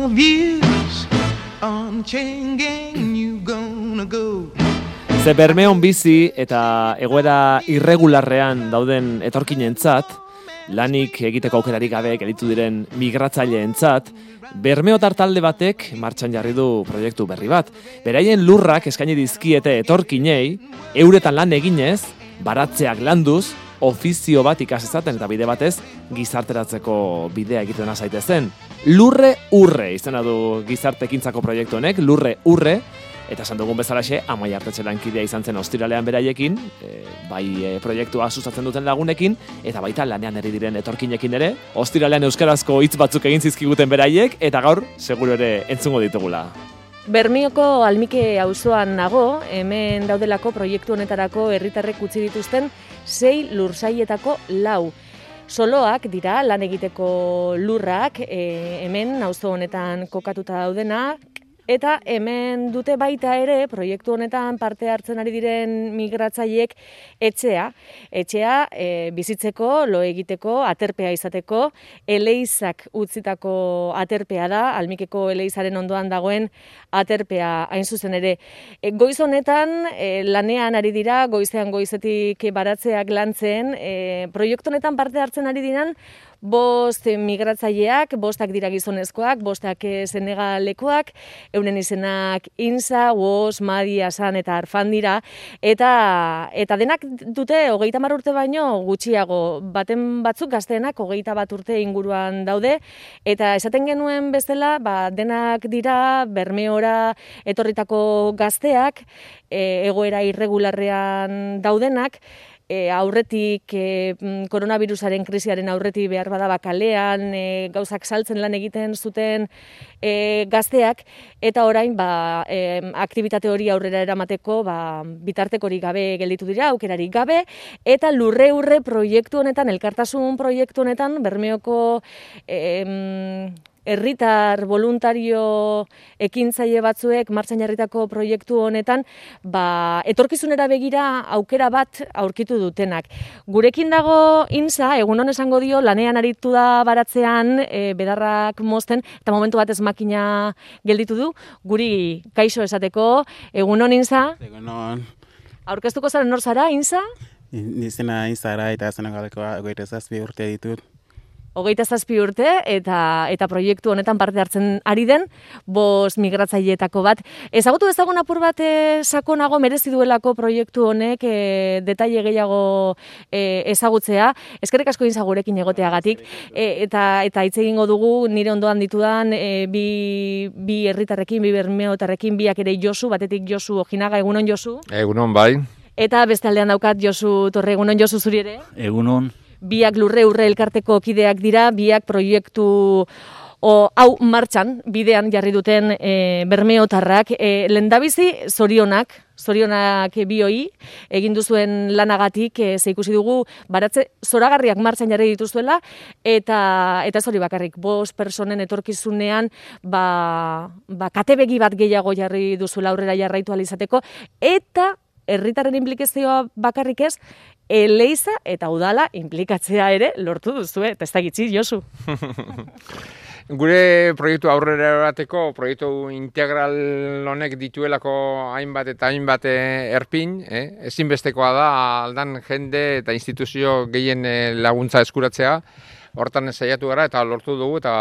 of years on chain gang you gonna go. Ze Bermeon bizi eta egoera irregularrean dauden etorkinentzat, lanik egiteko aukerarik gabe gelditu diren migratzaileentzat, bermeotar talde batek martxan jarri du proiektu berri bat. Beraien lurrak eskaini dizkiete etorkinei, euretan lan eginez, baratzeak landuz, ofizio bat ikasezaten eta bide batez gizarteratzeko bidea egiten azaitezen. Lurre urre izena du gizartekintzako proiektu honek, lurre urre, eta esan dugun bezalaxe, Amaia Artetxe lankidea izan zen ostiralean beraiekin, proiektua sustatzen duten lagunekin, eta baita lanean eri diren etorkinekin ere, ostiralean euskarazko hitz batzuk egin zizkiguten beraiek, eta gaur, seguru ere entzungo ditugula. Bermioko Almike auzoan nago, hemen daudelako proiektu honetarako herritarrek utzi dituzten 6 lursailetako 4. Soloak dira lan egiteko lurrak, hemen auzo honetan kokatuta daudena, eta hemen dute baita ere proiektu honetan parte hartzen ari diren migratzaileek etxea. Etxea bizitzeko, lo egiteko, aterpea izateko, eleizak utzitako aterpea da, Almikeko eleizaren ondoan dagoen aterpea hain zuzen ere. Goiz honetan lanean ari dira, goizean goizetik baratzeak lantzen, proiektu honetan parte hartzen ari diren 5 migratzaileak, 5 dira gizonezkoak, 5 senegalekoak, euren izenak Insa, Wos, Madi, Asan eta Arfan dira, eta denak dute 30 urte baino gutxiago, baten batzuk gazteenak 21 urte inguruan daude, eta esaten genuen bezala, denak dira Bermeora etorritako gazteak, egoera irregularrean daudenak, aurretik koronavirusaren krisiaren aurretik behar bada kalean gauzak saltzen lan egiten zuten gazteak, eta orain aktibitate hori aurrera eramateko bitartekorik gabe gelditu dira, aukerarik gabe, eta lurre urre proiektu honetan, elkartasun proiektu honetan, Bermeoko herritar voluntario ekintzaile batzuek martxan jarritako proiektu honetan etorkizunera begira aukera bat aurkitu dutenak. Gurekin dago Insa, egunon esango dio, lanean aritu da baratzean, bedarrak mozten, eta momentu batez makina gelditu du, guri kaixo esateko. Egunon Insa? Egunon. Aurkeztuko zaren nor zara, Insa? Izena Insara eta Senegalekoa 27 urte ditut. 27 urte eta proiektu honetan parte hartzen ari den 5 migratzaileetako bat. Ezagutu dezagun apur bat sakonago merezi duelako proiektu honek detaile gehiago ezagutzea. Eskerrik asko Insa gurekin egoteagatik, eta hitz egingo dugu nire ondoan ditudan bi herritarrekin, bi bermeotarrekin, biak ere Josu, batetik Josu Ojinaga. Egunon Josu? Egunon bai. Eta beste aldean daukat Josu Torre. Egunon Josu, zuri ere? Egunon. Biak lurre urre elkarteko kideak dira, biak proiektu hau martxan, bidean jarri duten bermeotarrak. Lehendabizi zorionak bioi, egin duzuen lanagatik, ze ikusi dugu baratze zoragarriak martxan jarri dituzuela, eta ez hori bakarrik, 5 personen etorkizunean katebegi bat gehiago jarri duzuela aurrera jarraitu ahal izateko, eta herritarren implikazioa bakarrik ez, eleiza eta udala implikatzea ere lortu duzu, eta ez da gitzi, Josu. Gure proiektu aurrera erateko, proiektu integral honek dituelako hainbat eta hainbat erpin, ezinbestekoa da aldan jende eta instituzio gehien laguntza eskuratzea, hortan saiatu gara eta lortu dugu eta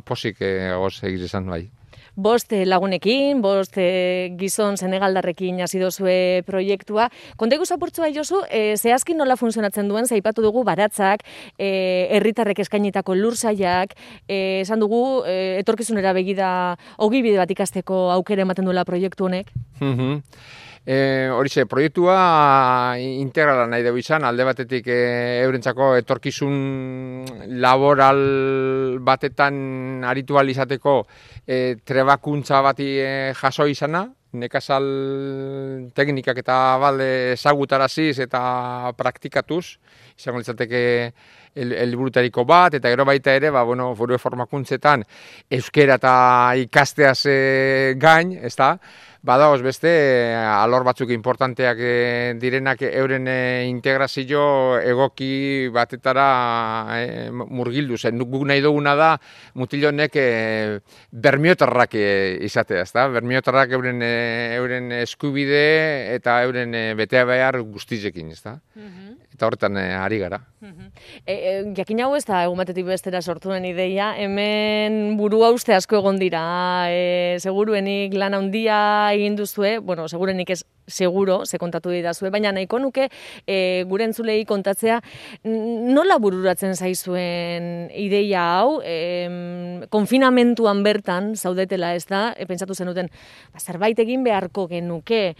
posik goz egiz izan bai. 5 lagunekin, 5 gizon senegaldarrekin hasi dozue proiektua. Konta iguza apurtzu Josu, zehazki nola funtzionatzen duen, zaipatu dugu baratzak, herritarrek eskainitako lursaiak, esan dugu etorkizunera begida ogibide bat ikasteko aukera ematen duela proiektu honek. Horixe, proiektua integrala nahi dugu izan, alde batetik eurentzako etorkizun laboral batetan aritu ahal izateko trebakuntza bati jaso izana, nekazal teknikak eta ezagutaraziz eta praktikatuz, izango litzateke helburutariko bat, eta gero baita ere, foru formakuntzetan euskera eta ikasteaz gain, ezta? Badaoz beste, alor batzuk importanteak direnak euren integrazio egoki batetara murgildu zen. Guk nahi duguna da mutilonek bermiotarrak izatea, ezta? Bermiotarrak euren eskubide eta euren betea behar guztizekin, ezta? Eta horretan ari gara. Jakin hau ez da egun batetik bestera sortu den ideia, hemen burua uste asko egon dira, seguruenik lan handia egin duzue, segurenik ez seguro, ze kontatu didazue, baina nahiko nuke gure entzulei kontatzea nola bururatzen zaizuen ideia hau, konfinamentuan bertan zaudetela ez da, pentsatu zenuten, zerbait egin beharko genuke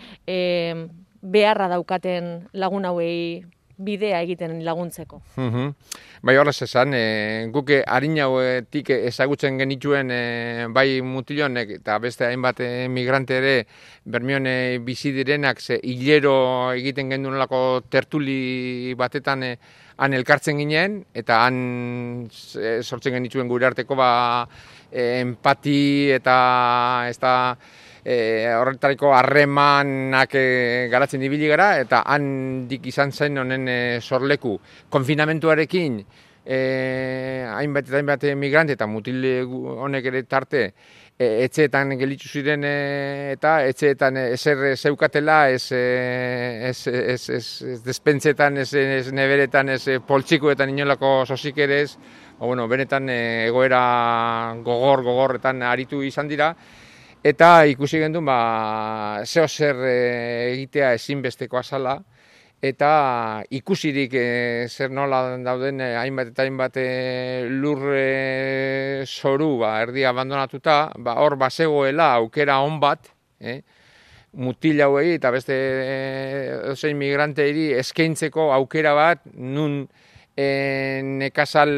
beharra daukaten lagun hauei bidea egiten laguntzeko. Bai, horrez esan, guk harin hauetik ezagutzen genituen bai mutilonek eta beste hainbat migrante ere Bermeon bizi direnak hilero egiten gendunelako tertuli batetan han elkartzen ginen, eta han sortzen genituen gure arteko empati eta horretariko harremanak garatzen ibili gara, eta handik izan zen honen sorleku. Konfinamentuarekin hainbat migrante eta mutil honek ere tarte etxeetan gelitzu ziren eta etxeetan ezer zeukatela, ez despentsetan, ez neberetan, ez poltsikoetan inolako sosik ere ez, benetan egoera gogorretan aritu izan dira. Eta ikusi gendun, zeo zer egitea ezinbestekoa zala, eta ikusirik zer nola dauden hainbat lur zoru erdi abandonatuta, hor bazegoela aukera on bat, mutil hauei eta beste zein migranteei eskaintzeko aukera bat, nun nekazal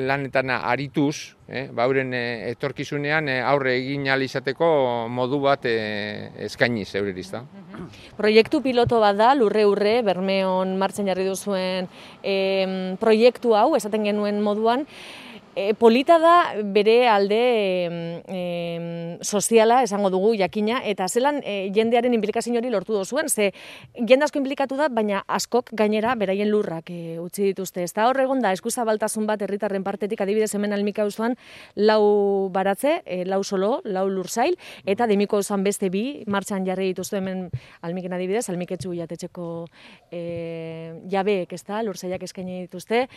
lanetan arituz, euren etorkizunean aurre egin ahal izateko modu bat eskainiz eureriz da. Proiektu piloto bat da, Lurre Bermeon martxan jarri duzuen proiektu hau, esaten genuen moduan, polita da bere alde soziala, esango dugu, jakina, eta zelan jendearen implikazio hori lortu duzuen, ze jende asko inplikatu da, baina askok gainera beraien lurrak utzi dituzte. Ez da hor egon da, eskuzabaltasun bat herritarren partetik, adibidez hemen Almika auzoan 4 baratze, 4 solo, 4 lursail, eta Demiko auzoan beste 2 martxan jarri dituzte hemen Almiken adibidez, Almiketxu jatetxeko jabeek, ez da, lursailak eskaini dituzte.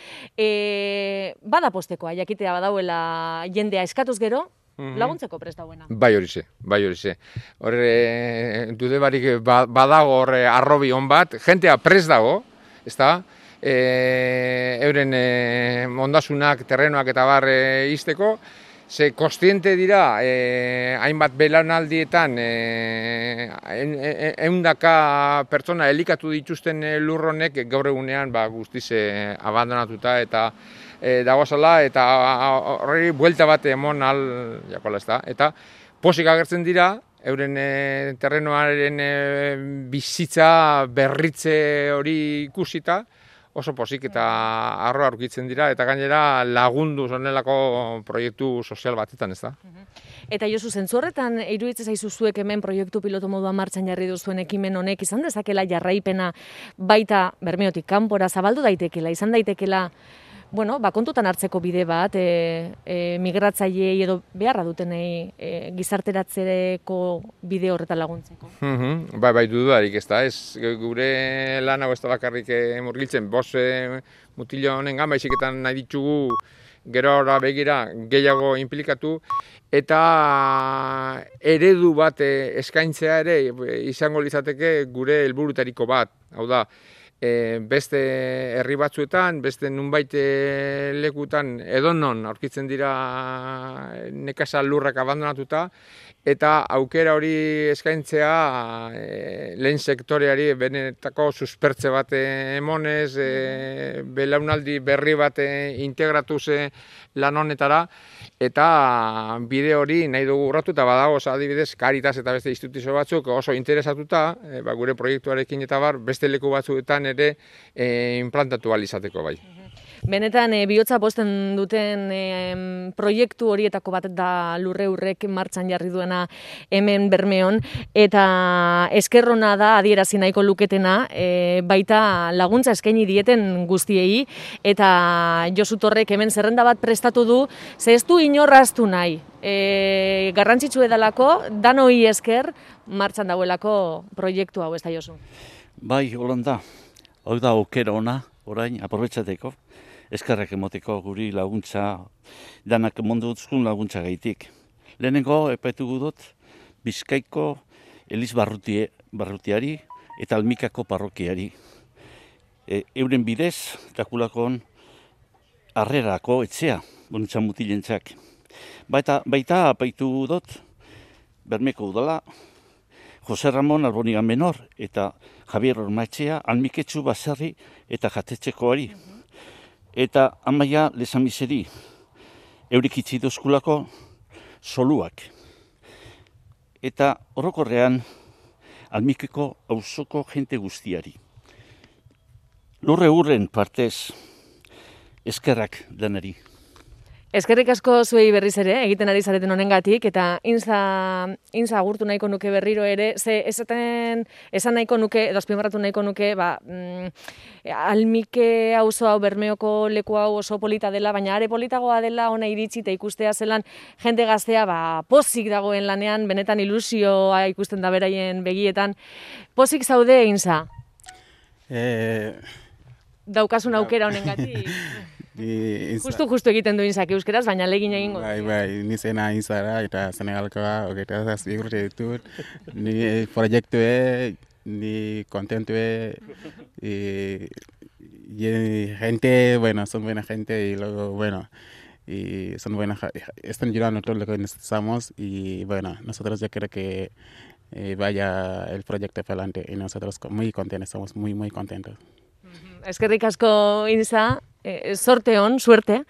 Bada postekoa, jakitea badauela jendea eskatuz gero, laguntzeko prest dauena. Bai horize. Horre, dude barik badago horre arrobi hon bat, jentea prest dago, ez da, euren ondasunak, terrenoak eta bar izteko, ze kostiente dira, hainbat belaunaldietan, 100 pertsona elikatu dituzten lurronek gaur egunean guztiz abandonatuta eta dagozala, eta horri buelta bat emon al jakola ez da. Eta posik agertzen dira, euren terrenoaren bizitza berritze hori ikusita, oso posik eta arroa aurkitzen dira, eta gainera lagundu zonelako proiektu sozial batetan, ez da. Eta Josu, zentzu horretan, iruditzen zaizu zuek hemen proiektu piloto moduan martxan jarri duzuen ekimen honek, izan dezakela jarraipena baita Bermeotik kanpora zabaldu daitekela, izan daitekela, kontutan hartzeko bide bat, migratzaileei edo beharra dutenei gizarteratzeko bide horretan laguntzeko. Bai, dudarik ez da, ez gure lan hau ez da bakarrik murgiltzen, mutilo honengan, baiziketan nahi ditugu gero begira gehiago inplikatu, eta eredu bat eskaintzea ere izango litzateke gure helburutariko bat, hau da, beste herri batzuetan, beste nunbait lekutan edonon aurkitzen dira nekazal lurrak abandonatuta, eta aukera hori eskaintzea lehen sektoreari benetako suspertze bat emonez, belaunaldi berri bat integratuz lan honetara, eta bide hori nahi dugu urratu, eta badago adibidez Caritas eta beste instituzio batzuk oso interesatuta, gure proiektuarekin eta beste leku batzuetan ere implantatu ahal izateko bai. Benetan, bihotza posten duten proiektu horietako bat da Lurreurrek martxan jarri duena hemen Bermeon, eta eskerrona da adierazi nahiko luketena, baita laguntza eskaini dieten guztiei, eta Josu Torrek hemen zerrenda bat prestatu du, ze ez du inorraztu nahi. Garrantzitsu edalako, danoi esker martxan dagoelako proiektu hau, ez da Josu? Bai, holanda, hau da aukera ona, orain, aprobetxateko. Eskerrak emoteko guri laguntza, danak mundu duzkun laguntza gaitik. Lehenengo, epaitu dut, Bizkaiko Eliz Barrutiari eta Almikako parrokiari. Euren bidez, takulakon harrerako etxea, bonuntza mutilentzak. Baita apaitu dut, Bermeko udala, Jose Ramon Alboniga Menor eta Javier Ormaetxea, Almiketxu Baserri eta Jatetxekoari. Eta amaia lezamizeri, eurik itzi dozkulako soluak. Eta orokorrean Almikeko auzoko jente guztiari. Lurreurren partez eskerrak denari. Eskerrik asko zuei berriz ere, egiten ari zareten honengatik, eta inza agurtu nahiko nuke berriro ere, ze esan nahiko nuke, edo azpimarratu nahiko nuke, Almike auzo hau, Bermeoko leku hau oso polita dela, baina are politagoa dela ona iritsi eta ikustea zelan jende gaztea pozik dagoen lanean, benetan ilusioa ikusten da beraien begietan. Pozik zaude, Inza? Daukasun aukera honengatik. Justu egiten du Inzak euskeraz, baina legin egingo. Bai, ni zena Inzara eta Senegalkoa, hogeita zazpigurte ditut. Ni proiektue, ni contentue, y gente, bueno, son buena gente y luego, bueno, y son buenas, están ayudando todo lo que necesitamos y bueno, nosotros yo creo que vaya el proyecto para adelante y nosotros muy contentos, estamos muy contentos. Eskerrik asko Inza, suerte.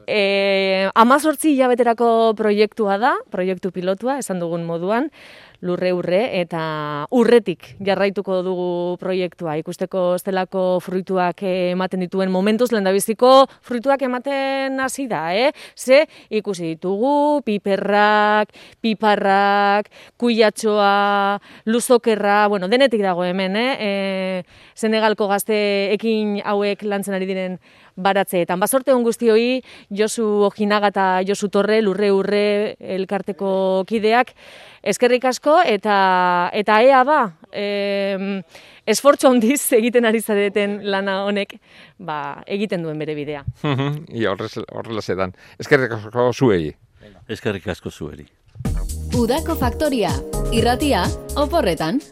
18 hilabeterako proiektua da, proiektu pilotua, esan dugun moduan, Lurreurre, eta urretik jarraituko dugu proiektua. Ikusteko estelako fruituak ematen dituen momentuz, lehendabiziko fruituak ematen hasi da, Ze ikusi ditugu, piperrak, piparrak, kuiatxoa, luzokerra, bueno, denetik dago hemen, Senegalko gazteekin hauek lantzen ari diren baratzeetan. Bazorte hon guztioi, Josu Ojinaga eta Josu Torre, Lurreurre elkarteko kideak, eskerrik asko, eta ea esfortzu handiz egiten ari zareten lana honek, egiten duen bere bidea. Horrela zedan. Eskerrik asko zuei. Eskerrik asko zueri. Udako Faktoria, irratia, oporretan.